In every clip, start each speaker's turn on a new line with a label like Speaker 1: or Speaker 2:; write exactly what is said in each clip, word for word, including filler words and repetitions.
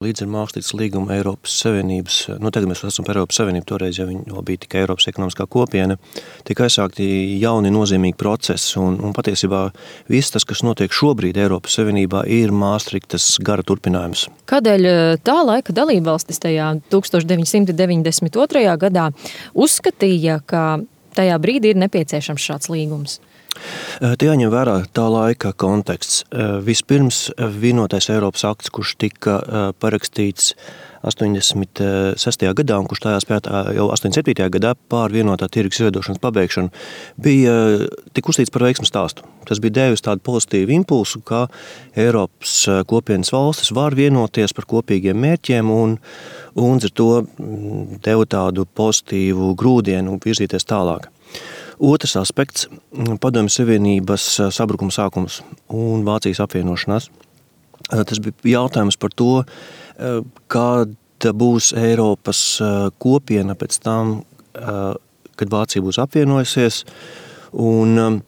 Speaker 1: Līdz ar Maastrichtas līgumu Eiropas Savienības, nu tagad mēs esam par Eiropas Savienību, toreiz jau viņi vēl bija tikai Eiropas ekonomiskā kopiena, tika aizsākti jauni nozīmīgi procesi, un, un patiesībā viss tas, kas notiek šobrīd Eiropas Savienībā, ir Maastrichtas gara turpinājums.
Speaker 2: Kādēļ tā laika dalībvalstis tajā tukstovš deviņsimt deviņdesmit otrajā gadā uzskatīja, ka tajā brīdī ir nepieciešams šāds līgums?
Speaker 1: Te jāņem vērā tā laika konteksts. Vispirms vienotais Eiropas akts, kurš tika parakstīts astoņdesmit sestajā gadā un kurš tajā spētā jau astoņdesmit septītajā gadā pār vienotā tirgus izveidošanas pabeigšanu, bija tik uzstīts par veiksmu stāstu. Tas bija devis tādu pozitīvu impulsu, ka Eiropas kopienas valstis var vienoties par kopīgiem mērķiem un, un ar to deva tādu pozitīvu grūdienu virzīties tālāk. Otrs aspekts – Padomju Savienības sabrukuma sākums un Vācijas apvienošanās. Tas bija jautājums par to, kāda būs Eiropas kopiena pēc tam, kad Vācija būs apvienojusies. Un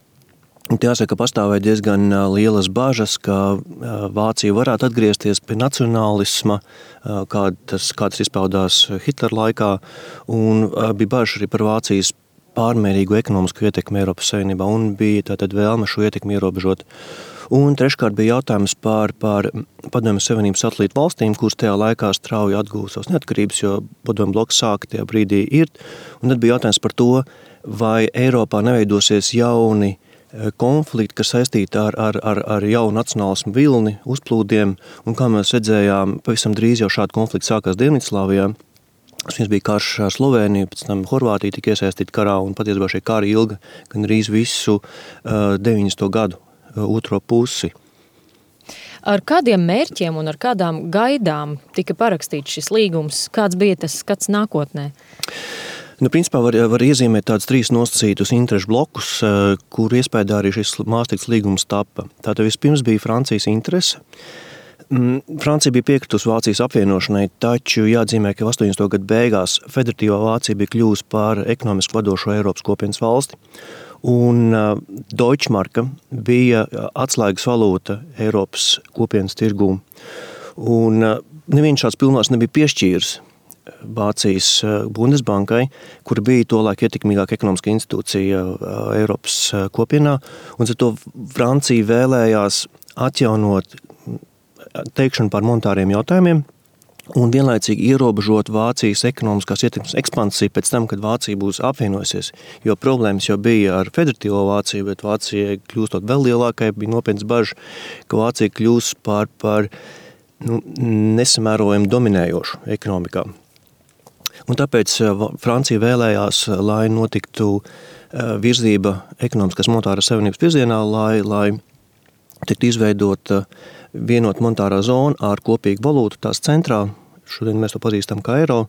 Speaker 1: jāsaka, ka pastāvēja diezgan lielas bažas, ka Vācija varētu atgriezties pie nacionālisma, kādas, kādas izpaudās Hitlera laikā, un bija bažas arī par Vācijas pārmērīgu ekonomisku ietekmi Eiropas Savienībā un bija tātad vēlme šo ietekmi ierobežot. Un treškārt bija jautājums par, par Padomju Savienības satelītu valstīm, kuras tajā laikā strauji atgūst savas neatkarības, jo Padomju bloks sāka tajā brīdī irt. Un tad bija jautājums par to, vai Eiropā neveidosies jauni konflikti, kas saistīti ar, ar, ar, ar jaunu nacionālismu vilni, uzplūdiem. Un kā mēs redzējām, pavisam drīz jau šādi konflikti sākās Dienvidslāvijā. Viens bija karš ar Slovēniju, pēc tam Horvātija tika iesaistīta karā, un patiesībā šie kari ilga gan arī visu uh, deviņdesmito gadu uh, otro pusi.
Speaker 2: Ar kādiem mērķiem un ar kādām gaidām tika parakstīts šis līgums? Kāds bija tas skats nākotnē?
Speaker 1: Nu, principā var, var iezīmēt tādus trīs nosacītus interešu blokus, uh, kur iespējā arī šis Maastrichtas līgums tapa. Tātad vispirms bija Francijas interese. Francija bija piekritusi Vācijas apvienošanai, taču jāatzīmē, ka astoņdesmito gadu beigās federatīvā Vācija bija kļuvusi par ekonomiski vadošo Eiropas kopienas valsti, un Deutschmarka bija atslēgas valūta Eiropas kopienas tirgū. Un neviens šāds pilnvars nebija piešķīris Vācijas Bundesbankai, kur bija tolaik ietekmīgāka ekonomiska institūcija Eiropas kopienā, un ar to Francija vēlējās atjaunot teikšanu par monetāriem jautājumiem un vienlaicīgi ierobežot Vācijas ekonomiskās ietekmes ekspansiju pēc tam, kad Vācija būs apvienojusies. Jo problēmas jau bija ar federatīvo Vāciju, bet Vācija kļūstot vēl lielākai, bija nopietnas bažas, ka Vācija kļūs par, par nu, nesamērojami dominējošu ekonomikā. Un tāpēc Francija vēlējās, lai notiktu virzība ekonomiskās monetāras savienības virzienā, lai, lai tiktu izveidota vienot monetārā zona ar kopīgu valūtu tās centrā, šodien mēs to pazīstam kā eiro,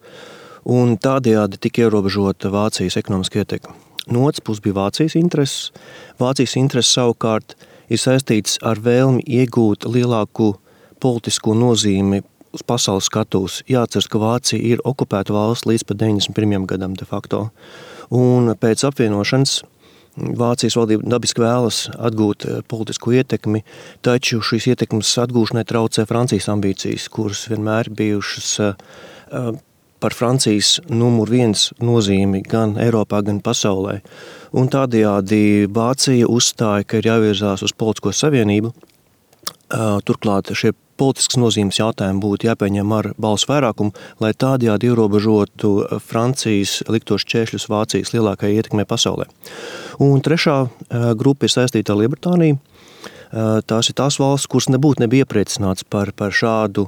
Speaker 1: un tādējādi tika ierobežota Vācijas ekonomiska ietekme. No otras puses bija Vācijas intereses. Vācijas intereses savukārt ir saistīts ar vēlmi iegūt lielāku politisko nozīmi uz pasaules skatūs. Jāatceras, ka Vācija ir okupēta valsts līdz pat deviņdesmit pirmajam gadam de facto. Un pēc apvienošanas Vācijas valdība dabiski vēlas atgūt politisku ietekmi, taču šīs ietekmes atgūšanai traucē Francijas ambīcijas, kuras vienmēr bijušas par Francijas numur viens nozīmi gan Eiropā, gan pasaulē. Un tādējādi Vācija uzstāja, ka ir jāvirzās uz politisko savienību. Turklāt šie politiskas nozīmes jautājumi būtu jāpieņem ar balsu vairākumu, lai tādējādi ierobežotu Francijas liktos šķēršļus Vācijas lielākajai ietekmei pasaulē. Un trešā grupa ir saistīta ar Lielbritāniju. Tās ir tās valsts, kuras nebūtu nebija iepriecināts par, par šādu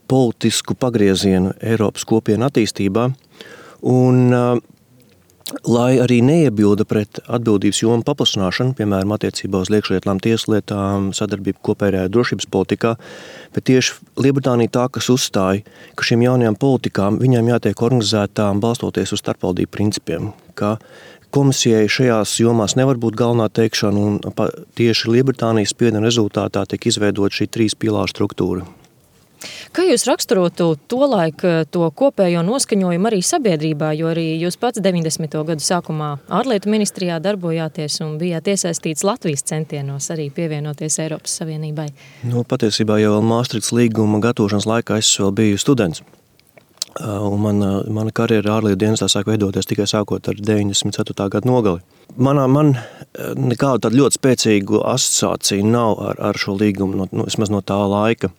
Speaker 1: politisku pagriezienu Eiropas kopienu attīstībā. Un lai arī neiebilda pret atbildības jomu paplašināšanu, piemēram, attiecībā uz iekšlietām, tieslietām, sadarbību kopējā drošības politikā, bet tieši Lielbritānija tā, kas uzstāja, ka šīm jaunajām politikām viņām jātiek organizētām balstoties uz starpvaldību principiem, ka komisijai šajās jomās nevar būt galvenā teikšana, un tieši Lielbritānijas spiediena rezultātā tiek izveidot šī trīs pīlāru struktūra.
Speaker 2: Kā jūs raksturotu tolaik to kopējo noskaņojumu arī sabiedrībā, jo arī jūs pats deviņdesmito gadu sākumā ārlietu ministrijā darbojāties un bijāt iesaistīts Latvijas centienos arī pievienoties Eiropas Savienībai?
Speaker 1: Nu, patiesībā jau vēl Maastrichts līguma gatavošanas laikā es vēl biju students. Un mana, mana karjera ārlietu dienestā sāk veidoties tikai sākot ar deviņdesmit ceturtā gada nogali. Manā, man nekādu tādu ļoti spēcīgu asociāciju nav ar, ar šo līgumu, no, no, vismaz no tā laika.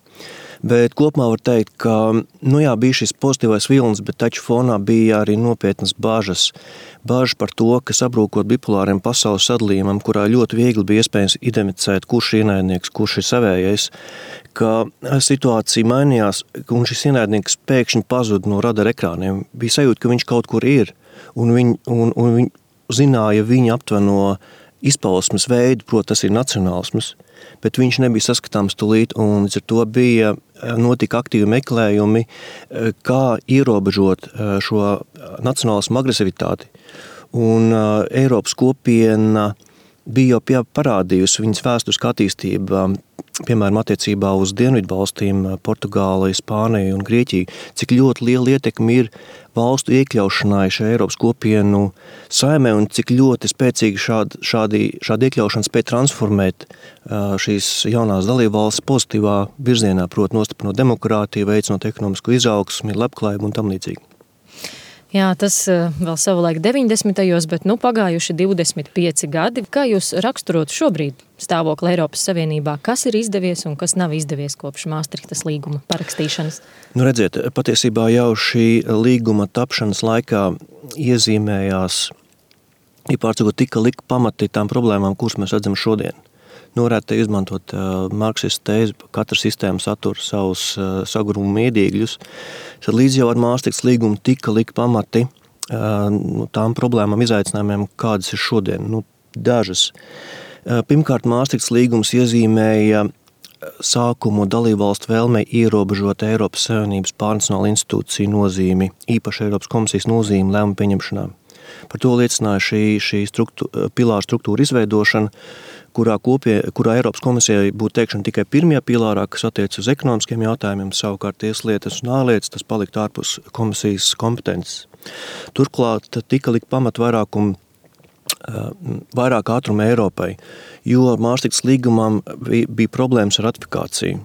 Speaker 1: Bet kopumā var teikt, ka nu jā, bija šis pozitīvais vilnis, bet taču fonā bija arī nopietnas bāžas. Bāžas par to, ka sabrūkot bipolāriem pasaules sadalījumam, kurā ļoti viegli bija iespējams identificēt, kurš ir ienaidnieks, kurš ir savējais, ka situācija mainījās, un šis ienaidnieks pēkšņi pazuda no radara ekrāniem. Bija sajūta, ka viņš kaut kur ir, un viņi, un, un viņi zināja viņa aptveno izpausmes veidu, proti tas ir nacionālisms, bet viņš nebija saskatāms tūlīt, un līdz ar to bija notika aktīvi meklējumi, kā ierobežot šo nacionālismu agresivitāti. Un Eiropas kopiena bija jau parādījusi viņas vēsturiskā attīstība, piemēram, attiecībā uz dienvidu valstīm, Portugāli, Spāniju un Grieķiju, cik ļoti liela ietekme ir valstu iekļaušanai šajā Eiropas kopienu saimē un cik ļoti spēcīgi šādi, šādi, šādi iekļaušana spēj transformēt šīs jaunās dalībvalstis pozitīvā virzienā, proti nostiprinot demokrātiju, veicinot ekonomisko izaugsmi, labklājību un tam līdzīgi.
Speaker 2: Jā, tas vēl savulaik deviņdesmitajos, bet nu pagājuši divdesmit pieci gadi. Kā jūs raksturotu šobrīd stāvokli Eiropas Savienībā? Kas ir izdevies un kas nav izdevies kopš Maastrichtas līguma parakstīšanas?
Speaker 1: Nu redziet, patiesībā jau šī līguma tapšanas laikā iezīmējās, īpārcīgot tika likt pamati tām problēmām, kuras mēs redzam šodien. Nu, varētu izmantot uh, marksistu tēzi, katra sistēma satura savus uh, sagrumumu iedīgļus. Tad līdz jau ar Maastrichtas līgumu tika likt pamati uh, nu, tām problēmām, izaicinājumiem, kādas ir šodien. Nu, dažas. Uh, pirmkārt, Maastrichtas līgums iezīmēja sākumu dalībvalstu vēlmei ierobežot Eiropas Savienības pārnacionālu institūciju nozīmi, īpaši Eiropas komisijas nozīmi lēmumu pieņemšanā. Par to liecināja šī, šī struktūra, pilāra struktūra izveidošana, kurā, kopie, kurā Eiropas komisijai būtu teikšana tikai pirmajā pilārā, kas attiec uz ekonomiskiem jautājumiem, savukārt tieslietas un ārlietas, tas paliktu ārpus komisijas kompetences. Turklāt tika likt pamat vairākumu, vairāk ātrumu Eiropai, jo Maastrichtas līgumam bija problēmas ar ratifikāciju.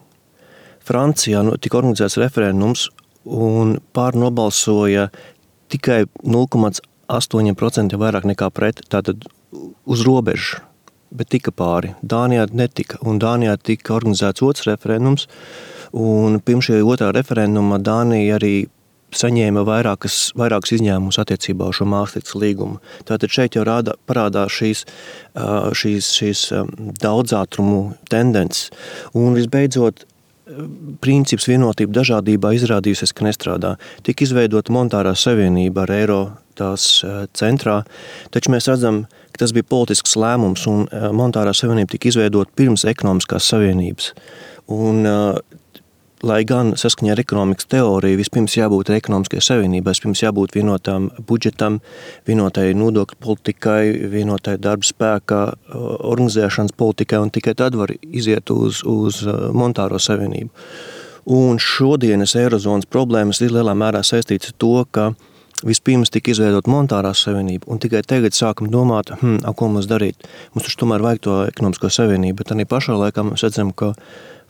Speaker 1: Francijā tika organizēts referendums un pār nobalsoja tikai nulle komats astoņi procenti vairāk nekā pret, tātad uz robežu, bet tika pāri. Dānijā netika, un Dānijā tika organizēts otrs referendums, un pirms šī otrā referenduma Dānija arī saņēma vairākas, vairākas izņēmumus attiecībā uz šo Maastrichtas līgumu. Tātad šeit jau rāda, parādās šīs, šīs, šīs daudzātrumu tendences, un visbeidzot, princips vienotība dažādībā izrādījusies, ka nestrādā. Tika izveidota monetārā savienība ar eiro tās centrā, taču mēs redzam, ka tas bija politisks lēmums un monetārā savienība tika izveidota pirms ekonomiskās savienības. Un, lai gan saskaņā ar ekonomikas teoriju vispirms jābūt ekonomiskai savienībai, vispirms jābūt vienotām budžetam, vienotai nodokļu politikai, vienotai darba spēka organizēšanas politikai, un tikai tad var iziet uz, uz monetāro savienību. Un šodienas eirozonas problēmas ir lielā mērā saistīts ar to, ka vispirms tika izveidot monetārā savienība, un tikai tagad sākam domāt, hm, ko mums darīt. Mums taču tomēr vajag to ekonomisko savienību, bet arī pašā laikā mēs redzam, ka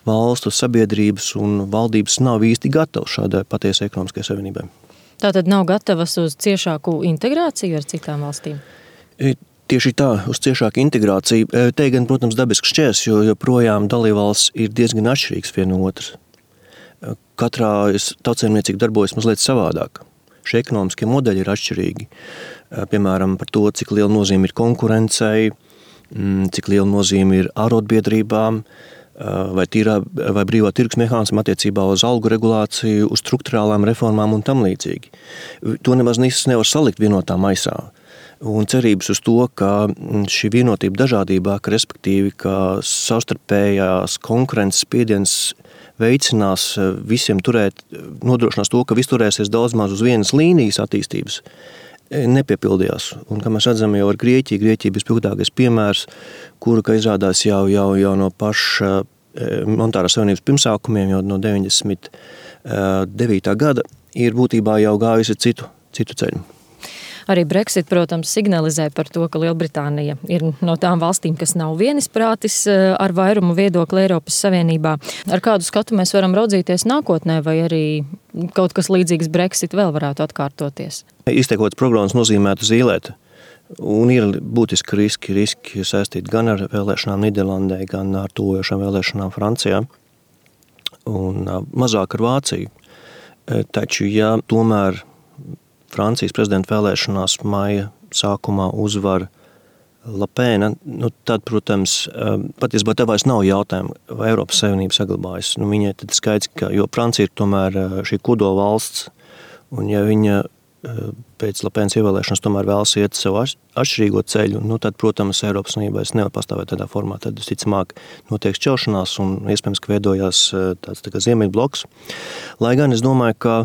Speaker 1: valstu sabiedrības un valdības nav īsti gatavas šādai patiesai ekonomiskai savienībai.
Speaker 2: Tātad nav gatavas uz ciešāku integrāciju ar citām valstīm?
Speaker 1: Tieši tā, uz ciešāku integrāciju. Te gan, protams, dabisks šķērs, jo joprojām dalībvalsts ir diezgan atšķirīgs viena no otras. Katrā tautsēmniecība darbojas mazliet savādāk. Šie ekonomiskie modeļi ir atšķirīgi. Piemēram, par to, cik liela nozīme ir konkurencei, cik liela nozīme ir ārotbiedrībām, vai, tīrā, vai brīvā tirgus mehānismu attiecībā uz algu regulāciju, uz strukturālām reformām un tam līdzīgi. To nemaz nevar salikt vienotā maisā. Un cerības uz to, ka šī vienotība dažādībā, ka respektīvi, ka savstarpējās konkurences spiediens veicinās visiem turēt, nodrošinās to, ka viss turēsies daudz maz uz vienas līnijas attīstības, nepiepildījās. Un, kā mēs redzam jau ar Grieķiju, Grieķija bija spilgtākais piemērs, kuru, ka izrādās jau, jau, jau no paša monetārās savienības pirmsākumiem, jau no deviņdesmit devītā gada, ir būtībā jau gājusi citu, citu ceļu.
Speaker 2: Arī Brexit, protams, signalizē par to, ka Lielbritānija ir no tām valstīm, kas nav vienisprātis ar vairumu viedokli Eiropas Savienībā. Ar kādu skatu mēs varam raudzīties nākotnē, vai arī kaut kas līdzīgs Brexit vēl varētu atkārtoties?
Speaker 1: Izteikots programmas nozīmētu zīlēt. Un ir būtiski riski, riski saistīti gan ar vēlēšanām Nīderlandē, gan ar tuvojošām vēlēšanām Francijā un mazāk ar Vāciju. Taču, ja tomēr Francijas prezidenta vēlēšanās maija sākumā uzvar Le Pen, nu, tad, protams, patiesībā tev vairs nav jautājumu, vai Eiropas Savienība saglabājas. Nu, viņai tad skaidrs, ka, jo Francija ir tomēr šī kodola valsts, un ja viņa pēc Le Penas ievēlēšanas tomēr vēlas iet savu atšķirīgo ceļu, nu tad, protams, Eiropas Savienībā nevar pastāvēt tādā formā. Tad, visticamāk, notiek šķelšanās un iespējams, ka veidojās tāds tā kā ziemeļbloks. Lai gan es domāju, ka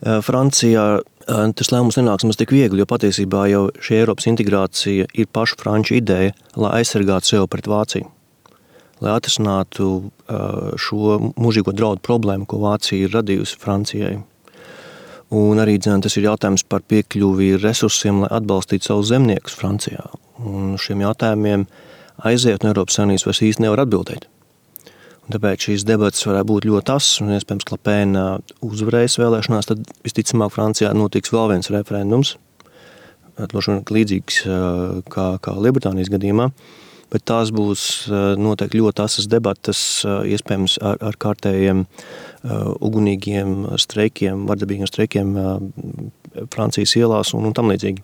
Speaker 1: Francijā tas lēmums nenāks mums tik viegli, jo patiesībā jau šī Eiropas integrācija ir pašu franču ideja, lai aizsargātu sev pret Vāciju. Lai atrisinātu šo mūžīgo draudu problēmu, ko Vācija ir radījusi Francijai. Un arī tas ir jautājums par piekļuvi resursiem, lai atbalstītu savus zemniekus Francijā. Un šiem jautājumiem aiziet no Eiropas Savienības vairs īsti nevar atbildēt. Un tāpēc šīs debatas varētu būt ļoti asas, un iespējams, ka Le Pen uzvarēs vēlēšanās, tad visticamāk Francijā notiks vēl viens referendums, līdzīgs kā, kā Lielbritānijas gadījumā. Bet tās būs noteikti ļoti asas debatas, iespējams ar, ar kārtējiem ugunīgiem streikiem, vardarbīgiem streikiem Francijas ielās un, un tam līdzīgi.